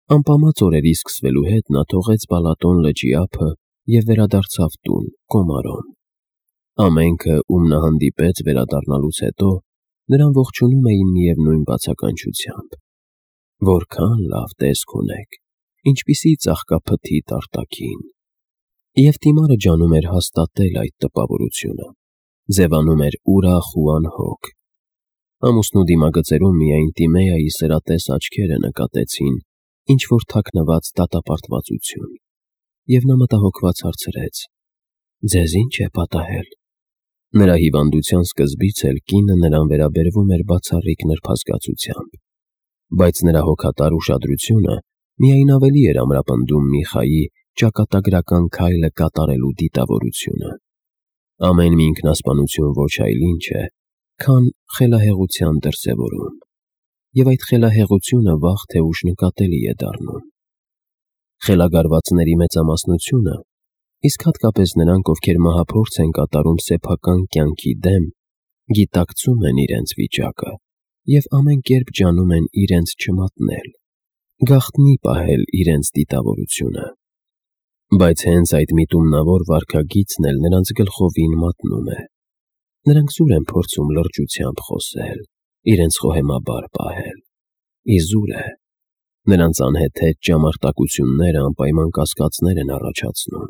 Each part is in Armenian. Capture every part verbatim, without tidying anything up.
Անպամած օրերի սկսվելու հետ նա թողեց Բալատոն լճի ափը և վերադարձավ տուն, Կոմարոն։ Ամենքը, ում նա հանդիպեց վերադառնալուց հետո, նրան ողջունում էին միևնույն բացականչությամբ. «Որքան լավ տեսք ունեք, ինչպիսի ծաղկափթիթ արտաքին»։ Եվ Տիմարը ջանում էր հաստատել այդ տպավորությունը, ձևանում էր ուրախ ու անհոգ։ Ամուսնու դիմագծերում միայն Տիմեայի սրատես աչքերը նկատեցին ինչ-որ թաքնված դատապարտվածություն, և նա մտահոգված հարցրեց. «Ձեզ ի՞նչ է պատահել»։ Նրա հիվանդության սկզբից էլ կինը նրան վերաբերվում էր բացառիկ նրբազգացությամբ, բայց նրա հոգատար ուշադրությունը միայն ավելի էր ամրապնդում Միխայի ճակատագրական քայլը կատարելու դիտավորությունը։ Ամեն մի ինքնասպանություն ոչ այլ ինչ է, քան խելահեղության դրսևորում, և այդ խելահեղությունը վաղ թե ուշ նկատելի է դառնում։ Խելագարվածների մեծամասնությունը, իսկ հատկապես նրանք, ովքեր մահափորձ են կատարում սեփական կյանքի դեմ, գիտակցում են իրենց վիճակը և ամեն կերպ ջանում են իրենց չմատնել, գաղտնի պահել իրենց դիտավորությունը։ Բայց հենց այդ միտումնավոր վարքագիծն էլ նրանց գլխովին մատնում է։ Նրանք զուր են փորձում լրջությամբ խոսել, իրենց խոհեմաբար պահել։ Իզուր է։ Նրանց անհեթեթ ճամարտակությունները անպայման կասկածներ են առաջացնում։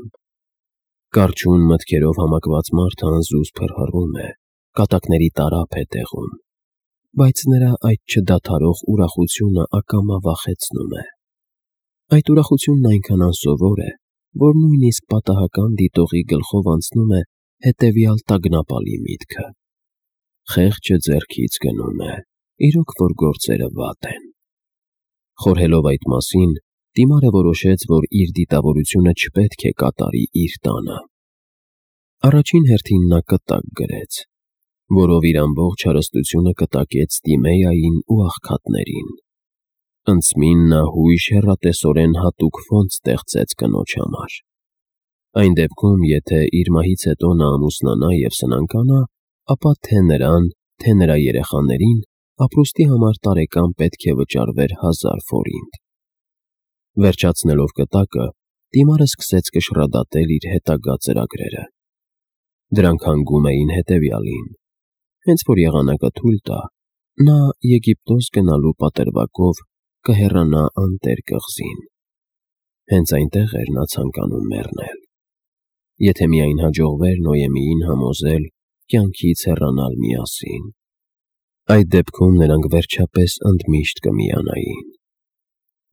Կառչուն մտքերով համակված մարդը անզուսպ հռհռում է, կատակների տարափ է տեղում, բայց նրա այդ չդադարող ուրախությունը ակամա վախեցնում է։ Այդ ուրախությունն այնքան անսովոր է, որ նույնիսկ պատահական դիտողի գլխով անցնում է հետևյալ տագնապալի միտքը. խեղճը ձեռքից գնում է, իրոք որ գործերը վատ են։ Խորհելով այդ մասին, Տիմարը որոշեց, որ իր դիտավորությունը չպետք է կատարի իր տանը։ Առաջին հերթին նա կտակ գրեց, որով իր ամբողջ հարստությունը կտակեց Տիմեային ու աղքատներին։ Ընծմին նա հույժ հեռատեսորեն հատուկ ֆոնդ ստեղծեց կնոջ համար։ Այն դեպքում, եթե իր մահից հետո նա ամուսնանա և սնանկանա, ապա թե նրան, թե նրա երեխաներին ապրուստի համար տարեկան պետք է վճարվեր հազար ֆորինտ։ Վերջացնելով կտակը, Տիմարը սկսեց կշռադատել իր հետագա ծրագրերը։ Դրանք հանգում էին հետևյալին. հենց որ եղանակը թույլ տա, նա Եգիպտոս գնալու պատրվակով կհեռանա անտեր կղզին։ Հենց այնտեղ էր նա ցանկանում մեռնել։ Եթե միայն հաջողվեր Նոյեմիին համոզել կյանքից հեռանալ միասին։ Այդ դեպքում նրանք վերջապես ընդմիշտ կմիանային։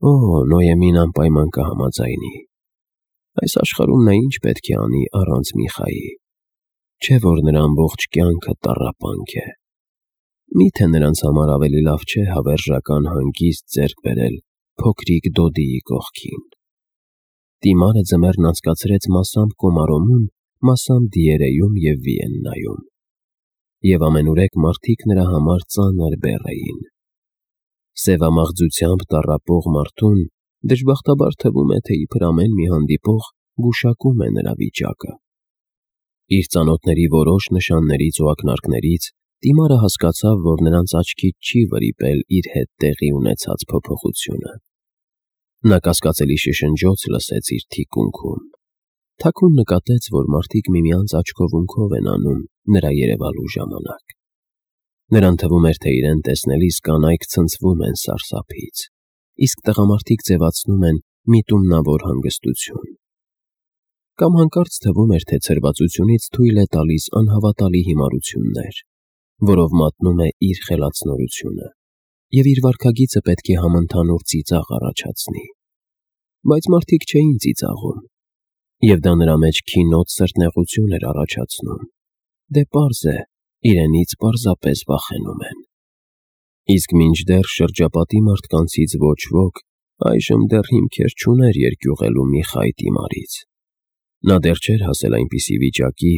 Օ, Նոյեմին անպայման կհամաձայնի։ Այս աշխարհում նա ինչ պետք է անի առանց Միխայի։ Չէ՞ որ նրա ամբողջ կյանքը տառապանք է։ Մի՞թե նրանց համար ավելի լավ չէ հավերժական հանգիստ ձեռք բերել փոքրիկ Դոդիի կողքին։ Տիմարը ձմեռն անցկացրեց մասամբ Կոմարոնում, մասամբ Դիերեյում և Վիեննայում, և ամենուրեք մարդիկ նրա համար ծանր բեռ էին։ Սևամաղձությամբ տառապող մարդուն դժբախտաբար թվում է, թե իբր ամեն մի հանդիպող գուշակում է նրա վիճակը։ Իր ծանոթների որոշ նշաններից ու ակնարկներից Տիմարը հասկացավ, որ նրանց աչքից չի վրիպել իր հետ տեղի ունեցած փոփոխությունը։ Նա կասկածելի շշնջոց լսեց իր թիկունքում։ Թաքուն նկատեց, որ մարդիկ միմյանց աչքովունքով են անում նրա երևալու ժամանակ։ Նրան թվում էր, թե իրեն տեսնելիս կանայք ցնցվում են սարսափից, իսկ տղամարդիկ ձևացնում են միտումնավոր հանգստություն։ Կամ հանկարծ թվում էր, թե ցրվածությունից թույլ է տալիս անհավատալի հիմարություններ, որով մատնում է իր խելացնորությունը, և իր վարքագիծը պետք է համընդհանուր ծիծաղ առաջացնի։ Բայց մարդիկ չէին ծիծաղում, և դա նրա մեջ քինոտ սրտնեղություն էր առաջացնում։ Դե պարզ է, իրենից պարզապես վախենում են։ Իսկ մինչդեռ շրջապատի մարդկանցից ոչ ոք այժմ դեռ հիմքեր չուներ երկյուղելու Միխայ Տիմարից։ Նա դեռ չէր հասել այնպիսի վիճակի,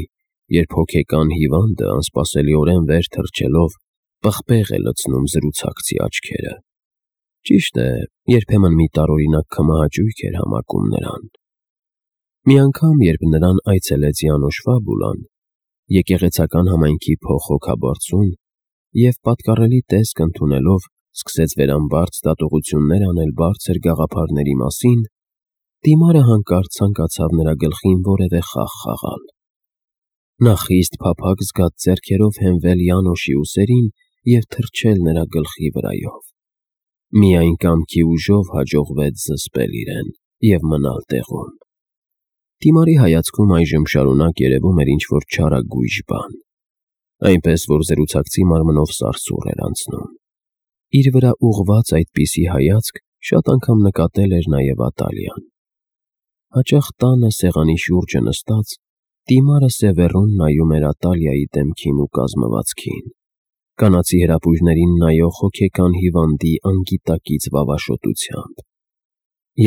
երբ հոգեկան հիվանդը անսպասելիորեն վեր թռչելով պղպեղ է լցնում զրուցակցի աչքերը։ Ճիշտ է, երբեմն մի տարօրինակ քմահաճույք էր համակում նրան։ Մի անգամ, երբ նրան այցելեց Յանուշ Ֆաբուլան, եկեղեցական համայնքի փոխհոգաբարձուն, և պատկառելի տեսք ընդունելով սկսեց վերամբարձ դատողություններ անել բարձր գաղափարների մասին, Տիմարը հանկարծ ցանկացավ նրա գլխին որևէ խաղ խաղալ։ Նա խիստ փափագ զգաց ձեռքերով հենվել Յանոշի ուսերին և թռչել նրա գլխի վրայով։ Միայն կամքի ուժով հաջողվեց զսպել իրեն և մնալ տեղում։ Տիմարի հայացքում այժմ շարունակ երևում էր ինչ-որ չարագույժ բան, այնպես որ զրուցակցի մարմնով սարսուռ էր անցնում։ Իր վրա ուղղված այդպիսի հայացք շատ անգամ նկատել էր նաև Ատալիան։ Հաճախ տանը սեղանի շուրջը նստած Տիմարը սևեռուն նայում էր Ատալիայի դեմքին ու կազմվածքին, կանացի հրապույրներին նայող հոգեկան հիվանդի անգիտակից վավաշոտությամբ։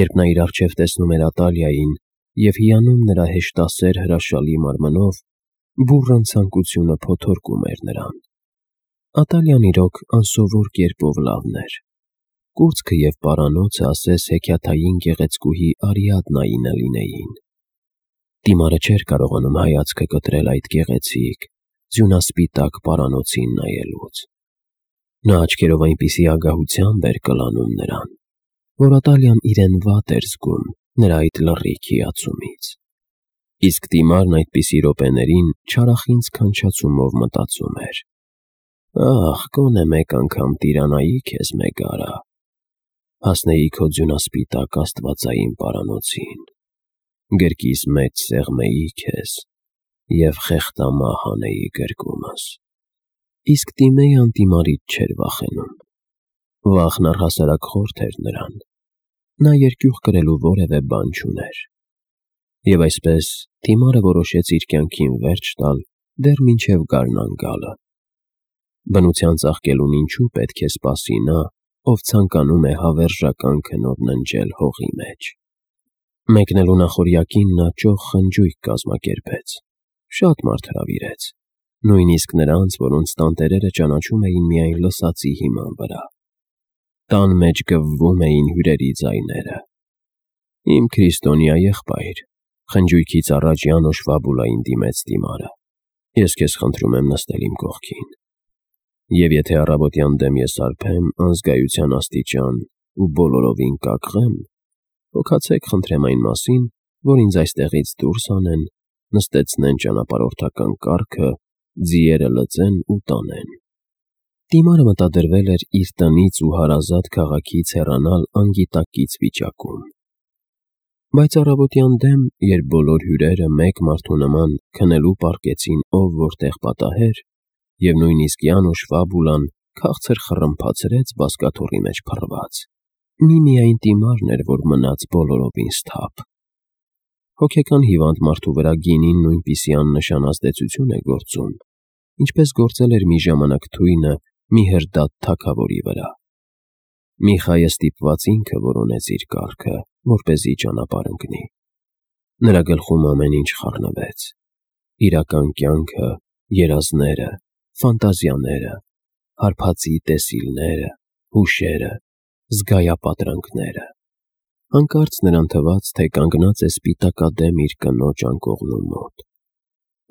Երբ նա իր առջև տեսնում էր Ատալիային և հիանում նրա հեշտասեր հրաշալի մարմնով, բուռն ցանկությունը փոթորկում էր նրան։ Ատալիան իրոք անսովոր կերպով լավն էր։ Կուրծքը և պարանոցը ասես հեքիաթային գեղեցկուհի Արիադնայինը լինեին։ Տիմարը չէր կարողանում հայացքը կտրել այդ գեղեցիկ, ձյունասպիտակ պարանոցին նայելուց։ Նա աչքերով այնպիսի ագահությամբ էր կլանում նրան, որ Ատալիան իրեն վատ էր զգում նրա այդ լռիկ հիացումից։ Իսկ Տիմարն այդպիսի րոպեներին չարախինձ քնչացումով մտածում էր. «Ախ, գոնե մեկ անգամ տիրանայի քեզ Մեգարա, հասնեի քո ձյունասպիտակ աստվածային պարանոցին, գրկիս մեջ սեղմեի քեզ և խեղդամահ անեի գրկումս»։ Իսկ Տիմեյան Տիմարից չէր վախենում։ Վախն առհասարակ խորթ էր նրան։ Նա երկյուղ կրելու որևէ բան չուներ։ Եվ այսպես Տիմարը որոշեց իր կյանքին վերջ տալ դեռ մինչև գարնան գալը։ Բնության ծաղկելուն ինչու պետք է սպասի նա, ով ցանկանում է հավերժական քնով ննջել հողի մեջ։ Մեկնելու նախօրյակին նա ճոխ խնջույք կազմակերպեց։ Շատ մարդ հրավիրեց, նույնիսկ նրանց, որոնց տանտերերը ճանաչում էին միայն լսածի հիման վրա։ Տան մեջ գվվում էին հյուրերի ձայները։ «Իմ քրիստոնյա եղբայր», խնջույքից առաջ Յանոշ Վաբուլային դիմեց Տիմարը, «ես քեզ խնդրում եմ նստել իմ կողքին, և եթե առավոտյան դեմ ես արբեմ անզգայության աստիճան ու բոլորովին կակղեմ, հոգացեք խնդրեմ այն մասին, որ ինձ այստեղից դուրս անեն, նստեցնեն ճանապարհորդական կառքը, ձիերը լծեն ու տանեն»։ Տիմարը մտադրվել էր իր տնից ու հարազատ քաղաքից հեռանալ անգիտակից վիճակում։ Բայց առավոտյան դեմ, երբ բոլոր հյուրերը մեկ մարդու նման քնելու պառկեցին ով որտեղ պատահեր, և նույնիսկ Յանոշ Վաբուլան քաղցր խռմփացրեց բազկաթոռի մեջ փռված, միմիայն Տիմարն էր, որ մնաց բոլորովին սթափ։ Հոգեկան հիվանդ մարդու վրա գինին նույնպիսի աննշան ազդեցություն է գործում, ինչպես գործել էր մի ժամանակ թույնը մի հրդատ թագավորի վրա։ Միխայը ստիպված ինքը որոնեց իր կառքը, որպեսզի ճանապարհ ընկնի։ Նրա գլխում ամեն ինչ խառնվեց. իրական կյանքը, երազները, ֆանտազիաները, հարբածի տեսիլները, հուշերը, զգայապատրանքները։ Հանկարծ նրան թվաց, թե կանգնած է սպիտակադեմ իր կնոջ անկողնու մոտ,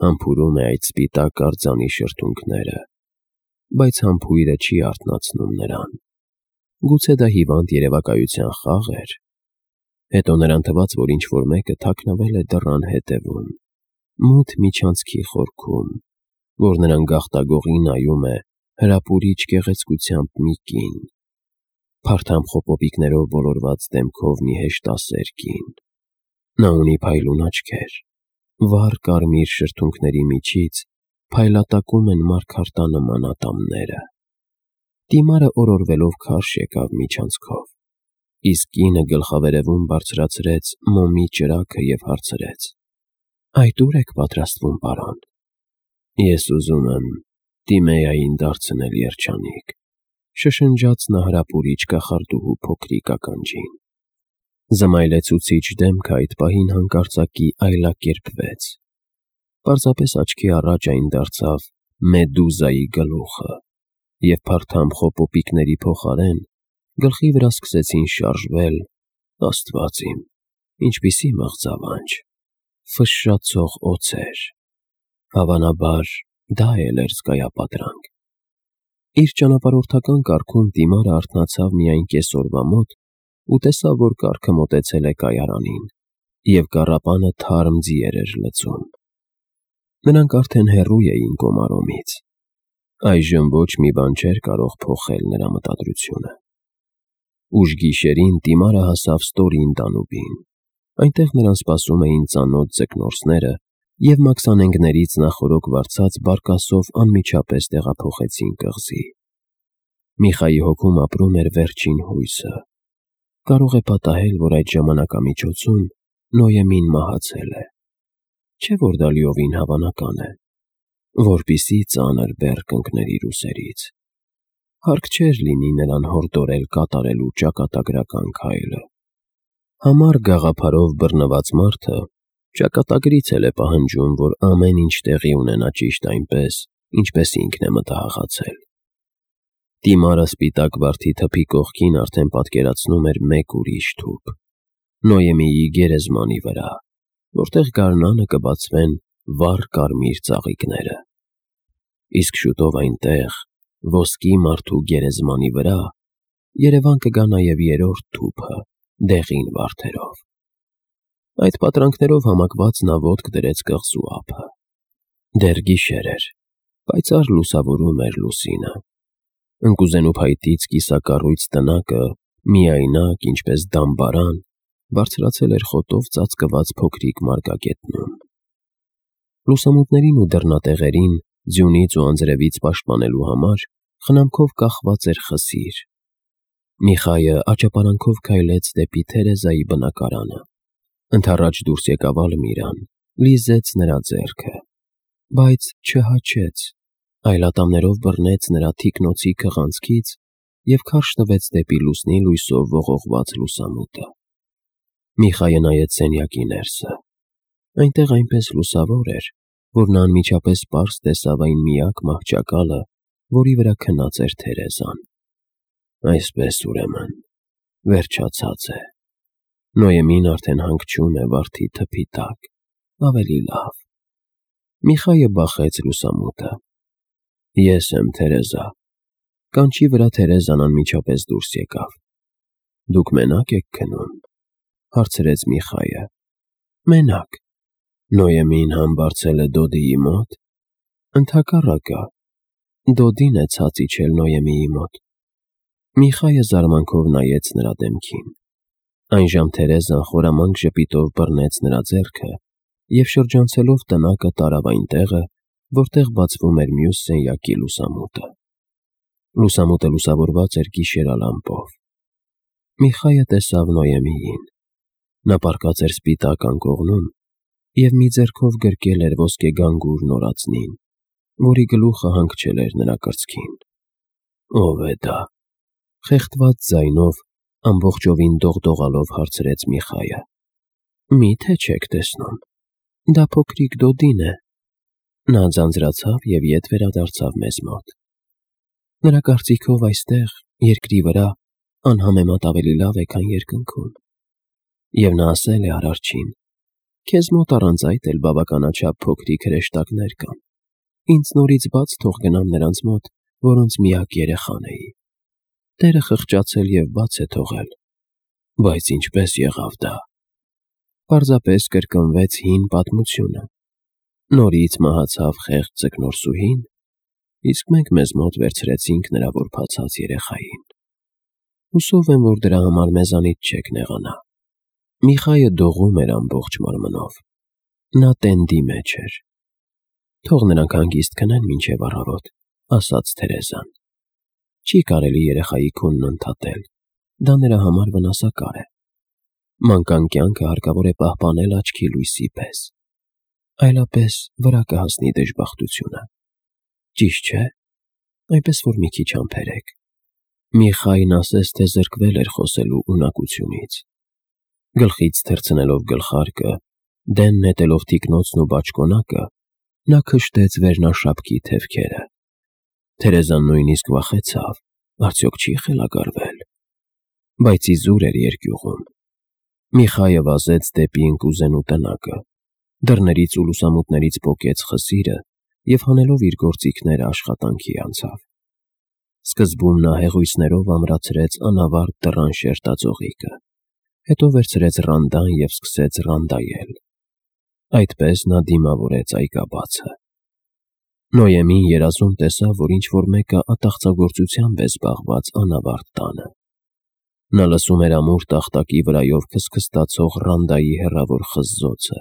համբուրում է այդ սպիտակ արձանի շրթունքները, բայց համբույրը չի արթնացնում նրան։ Գուցե դա հիվանդ երևակայության խաղ էր։ Հետո նրան թվաց, որ ինչ-որ մեկը թաքնվել է դռան հետևում, մութ միջանցքի խորքում, որ նրան գաղտագողի նայում է հրապուրիչ գեղեցկությամբ մի կին, փարթամ խոպոպիկներով ոլորված դեմքով մի հեշտասեր կին։ Նա ունի փայլուն աչքեր, վառ կարմիր շրթունքների միջից փայլատակում են մարգարտանման ատամները։ Տիմարը օրորվելով քարշ եկավ միջանցքով, իսկ կինը գլխավերևում բարձրացրեց մոմի ճրագը և հարցրեց. «Այդ ո՞ւր եք պատրաստվում, պարոն»։ «Ես ուզում եմ Տիմեային դարձնել երջանիկ», շշնջաց նա հրապուրիչ կախարդուհու փոքրիկ ականջին։ Զմայլեցուցիչ դեմքը այդ պահին հանկարծակի այլակերպվեց։ Պարզապես աչքի առաջ այն դարձավ Մեդուզայի գլուխը, և փարթամ խոպոպիկների փոխարեն գլխի վրա սկսեցին շարժվել, Աստված իմ, ինչպիսի մղձավանջ, ֆշշացող օձեր։ Հավանաբար դա էլ էր զգայապատրանք։ Իր ճանապարհորդական կարգում Դիմարը արթնացավ միայն կեսօրվա մոտ ու տեսավ, որ կառքը մոտեցել է կայարանին, և կառապանը թարմ ձիեր էր լցում։ Նրանք արդեն հեռու էին Կոմարոմից։ Այժմ ոչ մի բան չէր կարող փոխել նրա մտադրությունը։ Ուշ գիշերին Դիմարը հասավ ստորին Դանուբին։ Այնտեղ նրան սպասում էին ծանոթ ձկնորսները և մաքսանենգներից նախօրոք վարձած բարկասով անմիջապես տեղափոխեցին կղզի։ Միխայի հոգում ապրում էր վերջին հույսը։ Կարող է պատահել, որ այդ ժամանակամիջոցում Նոյեմին մահացել է։ Չէ՞ որ դա լիովին հավանական է, որպիսի ծանր բեռ կընկներ իր ուսերից։ Հարկ չէր լինի նրան հորդորել կատարելու ճակատագրական քայլը։ Համառ գաղափարով բռնված մարդը ճակատագրից էլ է պահանջում, որ ամեն ինչ տեղի ունենա ճիշտ այնպես, ինչպես ինքն է մտահղացել։ Դիմարը սպիտակ վարդի թփի կողքին արդեն պատկերացնում էր մեկ ուրիշ թուփ՝ Նոյեմիի գերեզմանի վրա, որտեղ գարնանը կբացվեն վառ կարմիր ծաղիկները։ Իսկ շուտով այնտեղ, ոսկի մարդու գերեզմանի վրա, երևան կգա նաև երրորդ թուփը՝ դեղին վարդերով։ Այդ պատրանքներով համակված նա ոտք դրեց կղզու ափը։ Դեռ գիշեր էր, պայծառ լուսավորում էր լուսինը։ Ընկուզենու փայտից կիսակառույց տնակը, միայնակ, ինչպես դամբարան, բարձրացել էր խոտով ծածկված փոքրիկ մարգագետնում։ Լուսամուտներին ու դռնատեղերին ձյունից ու անձրևից պաշտպանելու համար խնամքով կախված էր խսիր։ Միխայը աճապարանքով քայլեց դեպի Թերեզայի բնակարանը։ Ընդառաջ դուրս եկավ Ալմիրան, լիզեց նրա ձեռքը, բայց չհաչեց, այլ ատամներով բռնեց նրա թիկնոցի քղանցքից և քարշ տվեց դեպի լուսնի լույսով ողողված լուսամուտը։ Միխայը նայեց սենյակի ներսը։ Այնտեղ այնպես լուսավոր էր, որ նա անմիջապես պարզ տեսավ այն միակ մահճակալը, որի վրա քնած էր Թերեզան։ Այսպես, ուրեմն, վերջացած է։ Նոյեմին արդեն հանգչում է վարդի թփի տակ, ավելի լավ։ Միխայը բախեց լուսամուտը։ Ես եմ, Թերեզա։ Կանչի վրա Թերեզան անմիջապես դուրս եկավ։ Դուք մենա՞կ եք քնում, հարցրեց Միխայը։ Մենակ։ Նոյեմին համբարձել է Դոդիի մոտ։ Ընդհակառակը, Դոդին է ցած իջել Նոյեմիի մոտ։ Միխայը զարմանքով նայեց նրա դեմքին։ Այնժամ Թերեզան խորամանկ ժպիտով բռնեց նրա ձեռքը և շրջանցելով տնակը տարավ այն տեղը, որտեղ բացվում էր մյուս սենյակի լուսամուտը։ Լուսամուտը լուսավորված էր գիշերալամպով։ Միխայը տեսավ Նոյեմիին։ Նա պառկած էր սպիտակ անկողնում և մի ձեռքով գրկել էր ոսկեգանգուր նորածնին, որի գլուխը հանգչել էր նրա կրծքին։ Ո՞վ է դա, խեղդված ձայնով, ամբողջովին դողդողալով հարցրեց Միխայը։ Մի՞թե չեք տեսնում, դա փոքրիկ Դոդին է։ Նա ձանձրացավ և ետ վերադարձավ մեզ մոտ։ Նրա կարծիքով այստեղ, երկրի վրա, անհամեմատ ավելի լավ է, քան երկնքում։ Եվ նա ասել է Արարչին. «Քեզ մոտ առանց այդ էլ բավականաչափ փոքրիկ հրեշտակներ կան։ Ինձ նորից բաց թող գնամ նրանց մոտ, որոնց միակ երեխան էի։ Տերը խղճացել և բաց է թողել։ Բայց ինչպե՞ս եղավ դա։ Պարզապես կրկնվեց հին պատմությունը։ Նորից մահացավ խեղճ ձկնորսուհին, իսկ մենք մեզ մոտ վերցրեցինք նրա որբացած երեխային։ Հուսով եմ, որ դրա համար մեզանից չեք նեղանա»։ Միխայը դողում էր ամբողջ մարմնով։ Նա տենդի մեջ էր։ «Թող նրանք հանգիստ քնեն մինչև առավոտ», ասաց Թերեզան։ Չի կարելի երեխայի քունն ընդհատել, դա նրա համար վնասակար է։ Մանկան կյանքը հարկավոր է պահպանել աչքի լույսի պես, այլապես վրա կհասնի դժբախտությունը։ Ճիշտ չէ՞, այնպես որ մի քիչ համբերեք։ Միխային ասես թե զրկվել էր խոսելու ունակությունից։ Գլխից թռցնելով գլխարկը, դեն նետելով թիկնոցն ու բաճկոնակը, նա քշտեց վերնաշապքի թևքերը։ Թերեզան նույնիսկ վախեցավ, արդյոք չի խելագարվել։ Բայց իզուր էր երկյուղում։ Միխայը վազեց դեպի ընկուզենու տնակը, դռներից ու լուսամուտներից պոկեց խսիրը և հանելով իր գործիքները աշխատանքի անցավ։ Սկզբում նա հեղույցներով ամրացրեց անավարտ դռան շերտաձողիկը, հետո վերցրեց ռանդան և սկսեց ռանդայել։ Այդպես նա դիմավորեց այգաբացը։ Նոյեմին երազում տեսավ, որ ինչ-որ մեկը ատաղծագործությամբ է զբաղված անավարտ տանը։ Նա լսում էր ամուր տախտակի վրայով քսքստացող ռանդայի հեռավոր խզզոցը,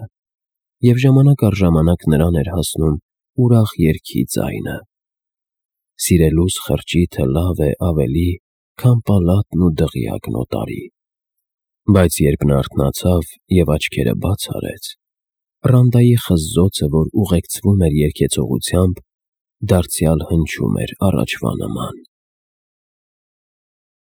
և ժամանակ առ ժամանակ նրան էր հասնում ուրախ երգի ձայնը. «Սիրելուս խրճիթը լավ է ավելի, քան պալատն ու դղյակն օտարի»։ Բայց երբ նա արթնացավ և աչքերը բաց արեց, ռանդայի խզզոցը, որ ուղեկցվում էր երգեցողությամբ, դարձյալ հնչում էր առաջվա նման։